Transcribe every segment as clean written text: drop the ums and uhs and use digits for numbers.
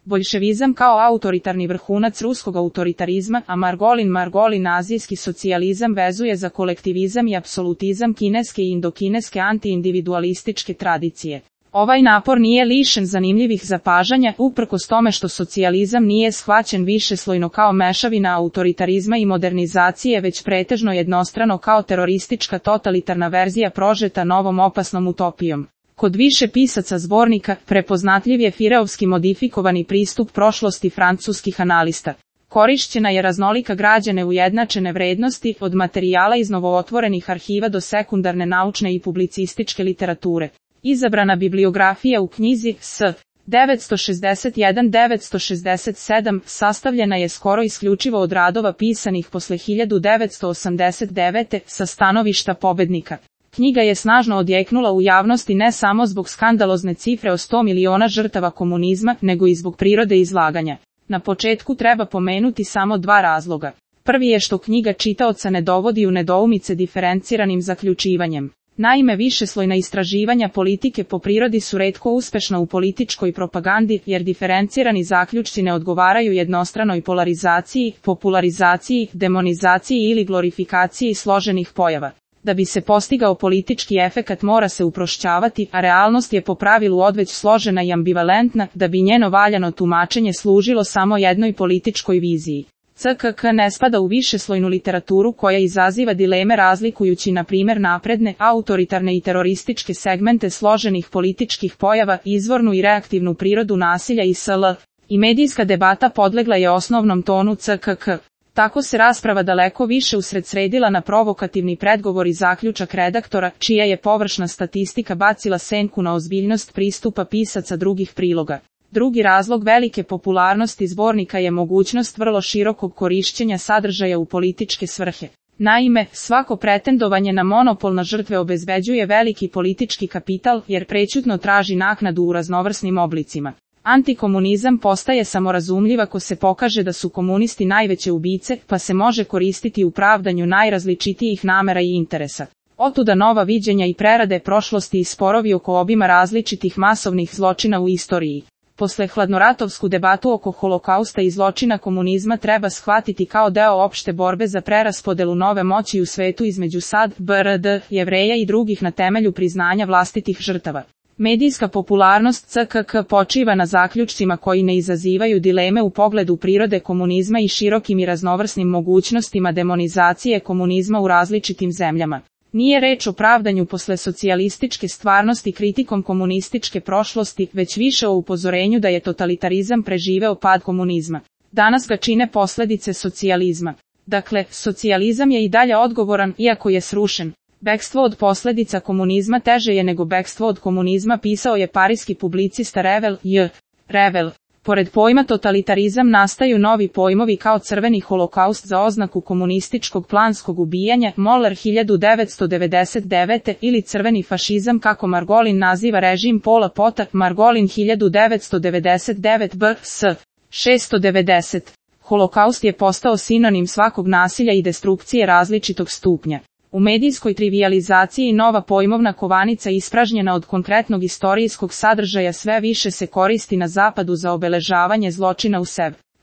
Boljševizam kao autoritarni vrhunac ruskog autoritarizma, a Margolin azijski socijalizam vezuje za kolektivizam i apsolutizam kineske i indokineske antiindividualističke tradicije. Ovaj napor nije lišen zanimljivih zapažanja, uprkos tome što socijalizam nije shvaćen višeslojno kao mešavina autoritarizma i modernizacije, već pretežno jednostrano kao teroristička totalitarna verzija prožeta novom opasnom utopijom. Kod više pisaca zbornika prepoznatljiv je Fireovski modifikovani pristup prošlosti francuskih analista. Korišćena je raznolika građa neujednačene vrednosti, od materijala iz novootvorenih arhiva do sekundarne naučne i publicističke literature. Izabrana bibliografija u knjizi S. 961-967 sastavljena je skoro isključivo od radova pisanih posle 1989. sa stanovišta pobednika. Knjiga je snažno odjeknula u javnosti ne samo zbog skandalozne cifre o 100 miliona žrtava komunizma, nego i zbog prirode izlaganja. Na početku treba pomenuti samo dva razloga. Prvi je što knjiga čitaoca ne dovodi u nedoumice diferenciranim zaključivanjem. Naime, višeslojna istraživanja politike po prirodi su retko uspešna u političkoj propagandi, jer diferencirani zaključci ne odgovaraju jednostranoj polarizaciji, popularizaciji, demonizaciji ili glorifikaciji složenih pojava. Da bi se postigao politički efekat mora se uprošćavati, a realnost je po pravilu odveć složena i ambivalentna, da bi njeno valjano tumačenje služilo samo jednoj političkoj viziji. CKK ne spada u višeslojnu literaturu koja izaziva dileme razlikujući na primjer napredne, autoritarne i terorističke segmente složenih političkih pojava, izvornu i reaktivnu prirodu nasilja i sl. I medijska debata podlegla je osnovnom tonu CKK. Tako se rasprava daleko više usredsredila na provokativni predgovor i zaključak redaktora, čija je površna statistika bacila senku na ozbiljnost pristupa pisaca drugih priloga. Drugi razlog velike popularnosti zbornika je mogućnost vrlo širokog korišćenja sadržaja u političke svrhe. Naime, svako pretendovanje na monopol na žrtve obezbeđuje veliki politički kapital, jer prećutno traži naknadu u raznovrsnim oblicima. Antikomunizam postaje samorazumljiv ako se pokaže da su komunisti najveće ubice, pa se može koristiti u pravdanju najrazličitijih namera i interesa. Otuda nova viđenja i prerade prošlosti i sporovi oko obima različitih masovnih zločina u istoriji. Posle hladnoratovsku debatu oko holokausta i zločina komunizma treba shvatiti kao deo opšte borbe za preraspodelu nove moći u svetu između SAD, BRD, Jevreja i drugih na temelju priznanja vlastitih žrtava. Medijska popularnost CKK počiva na zaključcima koji ne izazivaju dileme u pogledu prirode komunizma i širokim i raznovrsnim mogućnostima demonizacije komunizma u različitim zemljama. Nije reč o pravdanju posle socijalističke stvarnosti kritikom komunističke prošlosti, već više o upozorenju da je totalitarizam preživeo pad komunizma. Danas ga čine posledice socijalizma. Dakle, socijalizam je i dalje odgovoran, iako je srušen. Bekstvo od posledica komunizma teže je nego bekstvo od komunizma, pisao je parijski publicista Revel J. Revel. Pored pojma totalitarizam nastaju novi pojmovi kao crveni holokaust za oznaku komunističkog planskog ubijanja, Moller 1999. ili crveni fašizam kako Margolin naziva režim Pola Pota, Margolin 1999 b.s. 690. Holokaust je postao sinonim svakog nasilja i destrukcije različitog stupnja. U medijskoj trivijalizaciji nova pojmovna kovanica ispražnjena od konkretnog istorijskog sadržaja sve više se koristi na zapadu za obeležavanje zločina u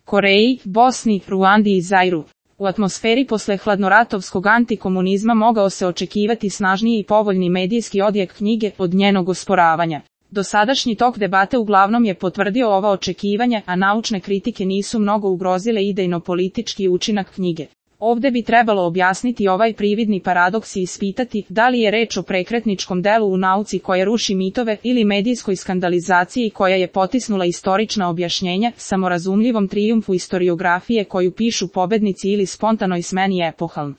Koreji, Bosni, Ruandi i Zairu. U atmosferi posle hladnoratovskog antikomunizma mogao se očekivati snažniji i povoljni medijski odjek knjige od njenog osporavanja. Dosadašnji tok debate uglavnom je potvrdio ova očekivanja, a naučne kritike nisu mnogo ugrozile idejno-politički učinak knjige. Ovde bi trebalo objasniti ovaj prividni paradoks i ispitati da li je reč o prekretničkom delu u nauci koje ruši mitove ili medijskoj skandalizaciji koja je potisnula istorična objašnjenja, samorazumljivom trijumfu istoriografije koju pišu pobednici ili spontanoj smeni epohaln.